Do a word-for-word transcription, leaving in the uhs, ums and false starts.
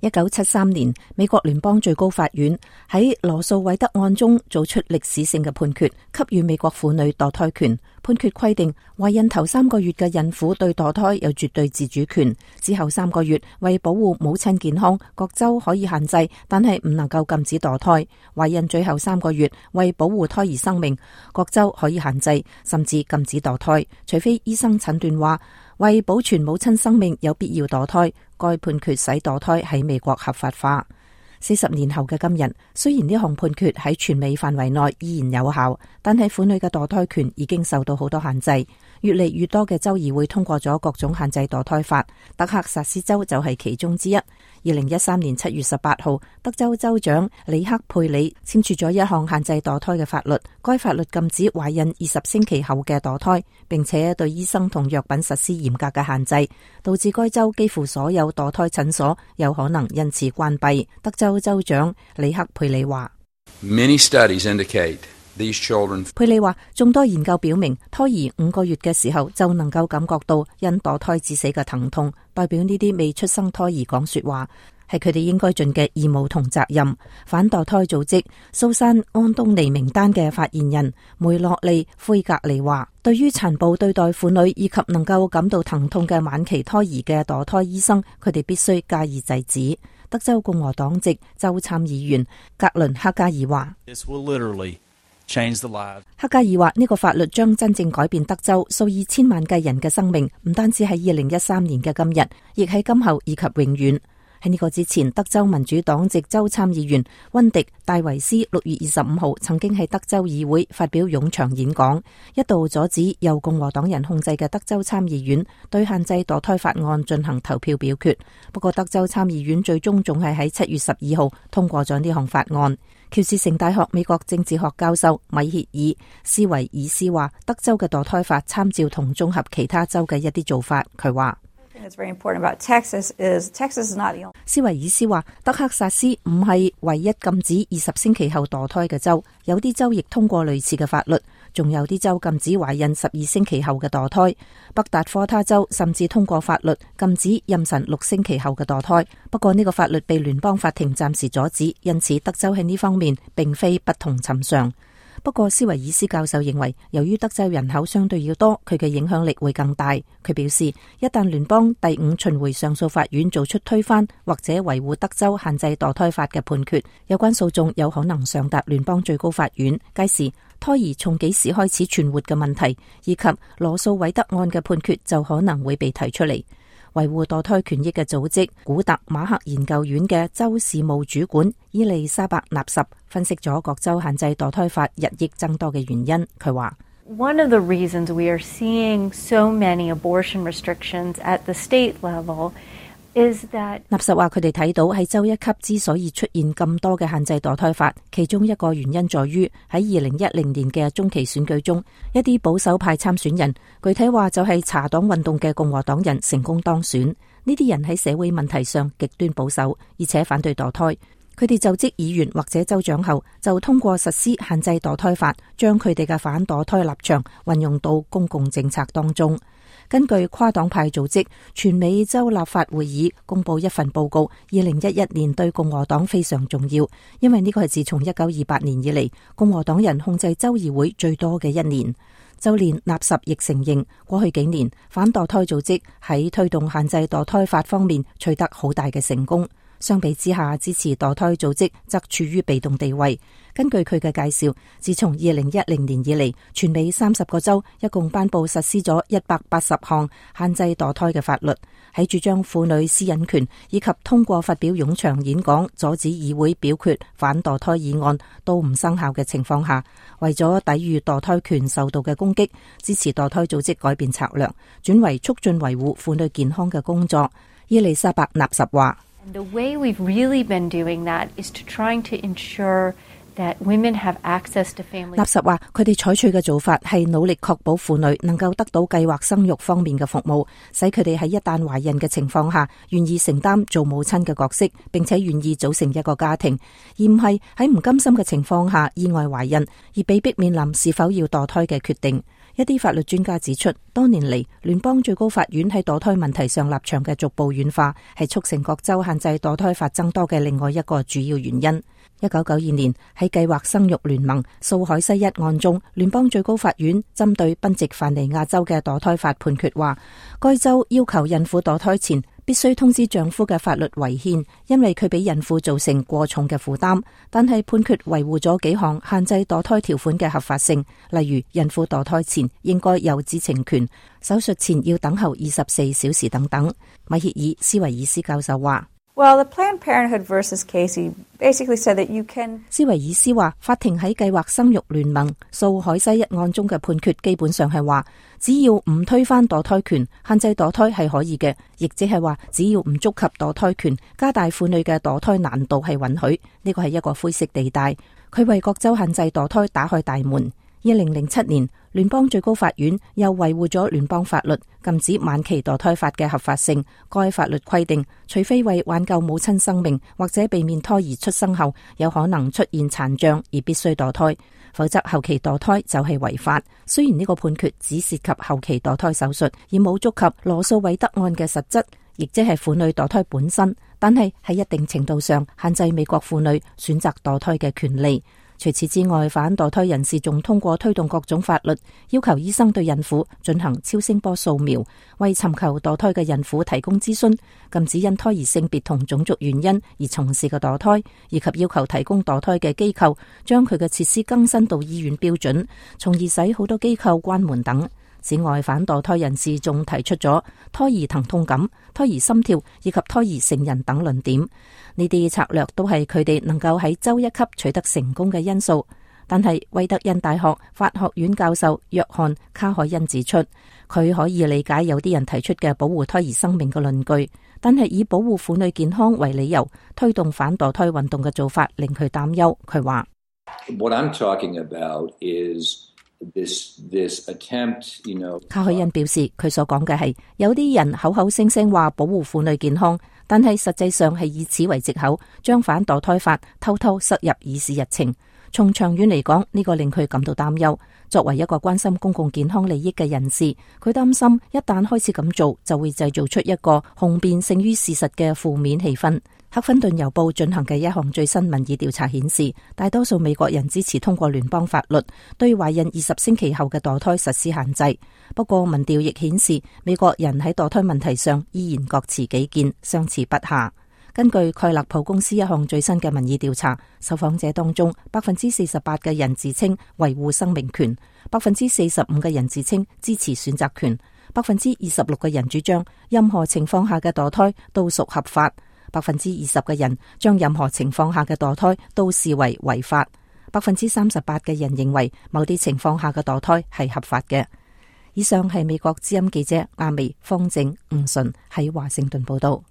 一九七三年，美國聯邦最高法院喺羅訴韋德案中做出歷史性嘅判決，給予美國婦女墮胎權。判決規定，懷孕頭三個月嘅孕婦對墮胎有絕對自主權。之後三個月，為保護母親健康，各州可以限制，但係唔能夠禁止墮胎。懷孕最後三個月，為保護胎兒生命，各州可以限制，甚至禁止墮胎，除非醫生診斷話為保存母親生命有必要墮胎。該判決使墮胎喺美國合法化。四十年後嘅今日，雖然呢項判決喺全美範圍內依然有效，但係婦女嘅墮胎權已經受到好多限制。越嚟越多嘅州議會通過咗各種限制墮胎法，德克薩斯州就係其中之一。二零一三年七月十八號，德州州長里克佩里簽署咗一項限制墮胎嘅法律。該法律禁止懷孕二十星期後嘅墮胎，並且對醫生同藥品實施嚴格嘅限制，導致該州幾乎所有墮胎診所有可能因此關閉。德州州長里克佩里話：Many studies indicate these children。佩里話，眾多研究表明，胎兒五個月嘅時候就能夠感覺到因墮胎致死嘅疼痛，代表呢啲未出生胎兒講說話，係佢哋應該盡嘅義務同責任。反墮胎組織蘇珊安東尼名單嘅發言人梅洛利灰格尼話，對於殘暴對待婦女以及能夠感到疼痛嘅晚期胎兒嘅墮胎醫生，佢哋必須加以制止。德州共和黨籍州參議員格倫克加爾話，克加爾話，呢個法律將真正改變德州數以千萬計人嘅生命，唔單止喺二零一三年嘅今日，亦喺今後以及永遠。喺呢個之前，德州民主黨籍州參議員溫迪戴維斯六月二十五號曾經喺德州議會發表冗長演講，一度阻止由共和黨人控制嘅德州參議院對限制墮胎法案進行投票表決。不過德州參議院最終仲係喺七月十二號通過咗呢項法案。喬治城大學美國政治學教授米歇爾斯維爾斯話，德州嘅墮胎法參照同綜合其他州嘅一啲做法。佢話斯維爾斯話，德克薩斯唔係唯一禁止二十星期後墮胎嘅州，有啲州亦通過類似嘅法律，仲有啲州禁止懷孕十二星期後嘅墮胎。北達科他州甚至通過法律禁止妊娠六星期後嘅墮胎，不過呢個法律被聯邦法庭暫時阻止，因此德州喺呢方面並非不同尋常。不過斯維爾斯教授認為，由於德州人口相對要多，佢嘅影響力會更大。佢表示，一旦聯邦第五巡迴上訴法院做出推翻或者維護德州限制墮胎法嘅判決，有關訴訟有可能上達聯邦最高法院。屆時，胎兒從幾時開始存活嘅問題，以及羅訴韋德案嘅判決就可能會被提出嚟。維護墮胎權益嘅組織古特馬克研究院嘅州事務主管伊麗莎白納什分析咗各州限制墮胎法日益增多嘅原因。佢話：One of the reasons we are seeing so many abortion restrictions at the state level is that 納什話佢哋睇到喺州一級之所以出現咁多嘅限制墮胎法，其中一個原因在於喺二零一零年嘅中期選舉中，一啲保守派參選人，具體話就係查黨運動嘅共和黨人成功當選。呢啲人喺社會問題上極端保守，而且反對墮胎。佢哋就職議員或者州長後，就通過實施限制墮胎法，將佢哋嘅反墮胎立場運用到公共政策當中。根據跨黨派組織全美州立法會議公布一份報告，二零一一年對共和黨非常重要，因為呢個係自從一九二八年以嚟共和黨人控制州議會最多嘅一年。就連納什亦承認，過去幾年反墮胎組織喺推動限制墮胎法方面取得好大嘅成功。相比之下，支持墮胎組織則處於被動地位。根據佢嘅介紹，自從二零一零年以嚟，全美三十個州一共頒布實施咗一百八十項限制墮胎嘅法律。喺主張婦女私隱權以及通過發表冗長演講阻止議會表決反墮胎議案都唔生效嘅情況下，為咗抵禦墮胎權受到嘅攻擊，支持墮胎組織改變策略，轉為促進維護婦女健康嘅工作。伊麗莎白納什話：The way we've really been doing that is to trying to ensure that women have access to family。納什話，佢哋採取嘅做法係努力確保婦女能夠得到計劃生育方面嘅服務，使佢哋喺一旦懷孕嘅情況下，願意承擔做母親嘅角色，並且願意組成一個家庭，而唔係喺唔甘心嘅情況下意外懷孕，而被迫面臨是否要墮胎嘅決定。一啲法律專家指出，多年嚟聯邦最高法院喺墮胎問題上立場嘅逐步軟化，係促成各州限制墮胎法增多嘅另外一個主要原因。一九九二年喺計劃生育聯盟訴海西一案中，聯邦最高法院針對賓夕凡尼亞州嘅墮胎法判決話，該州要求孕婦墮胎前必須通知丈夫嘅法律違憲，因為佢俾孕婦造成過重嘅負擔。但係判決維護咗幾項限制墮胎條款嘅合法性，例如孕婦墮胎前應該有知情權，手術前要等候二十四小時等等。米歇爾斯維爾斯教授話Well, the Planned Parenthood versus Casey basically said that you can... 斯維爾斯話，法庭喺計劃生育聯盟訴海西一案中嘅判決基本上係話，只要唔推翻墮胎權，限制墮胎係可以嘅，亦即係話只要唔觸及墮胎權，加大婦女嘅墮胎難度係允許。呢個係一個灰色地帶，佢為各州限制墮胎打開大門。二零零七年，聯邦最高法院又維護咗聯邦法律禁止晚期墮胎法嘅合法性。該法律規定，除非為挽救母親生命或者避免胎兒出生後有可能出現殘障而必須墮胎，否則後期墮胎就係違法。雖然呢個判決只涉及後期墮胎手術，而冇觸及羅素韋德案嘅實質，亦即係婦女墮胎本身，但係喺一定程度上限制美國婦女選擇墮胎嘅權利。除此之外，反墮胎人士仲通過推動各種法律，要求醫生對孕婦進行超聲波掃描，為尋求墮胎嘅孕婦提供諮詢，禁止因胎兒性別同種族原因而從事嘅墮胎，以及要求提供墮胎嘅機構將佢嘅設施更新到醫院標準，從而使好多機構關門等。此外，反墮胎人士仲提出咗胎兒疼痛感、胎兒心跳以及胎兒成人等論點。呢啲策略都係佢哋能夠喺州一級取得成功嘅因素。但係威德恩大學法學院教授約翰卡海恩指出，佢可以理解有啲人提出嘅保護胎兒生命嘅論據，但係以保護婦女健康為理由推動反墮胎運動嘅做法令佢擔憂。佢話：What I'm talking about is This, this attempt, you know, 卡海恩表示，佢所講嘅係有啲人口口聲聲話保護婦女健康，但係實際上係以此為藉口，將反墮胎法偷偷塞入議事日程。從長遠嚟講，呢個令佢感到擔憂。作為一個關心公共健康利益嘅人士，佢擔心一旦開始咁做，就會製造出一個雄辯勝於事實嘅負面氣氛。赫芬頓郵報進行嘅一項最新民意調查顯示，大多數美國人支持通過聯邦法律對懷孕二十星期後嘅墮胎實施限制。不過民調亦顯示，美國人喺墮胎問題上依然各持己見，相持不下。根據蓋勒普公司一項最新嘅民意調查，受訪者當中百分之四十八嘅人自稱維護生命權，百分之四十五嘅人自稱支持選擇權，百分之二十六嘅人主張任何情況下嘅墮胎都屬合法。百分之二十嘅人將任何情況下嘅墮胎都視為違法，百分之三十八嘅人認為某啲情況下嘅墮胎係合法嘅。以上係美國之音記者阿美、方正、吳順喺華盛頓報道。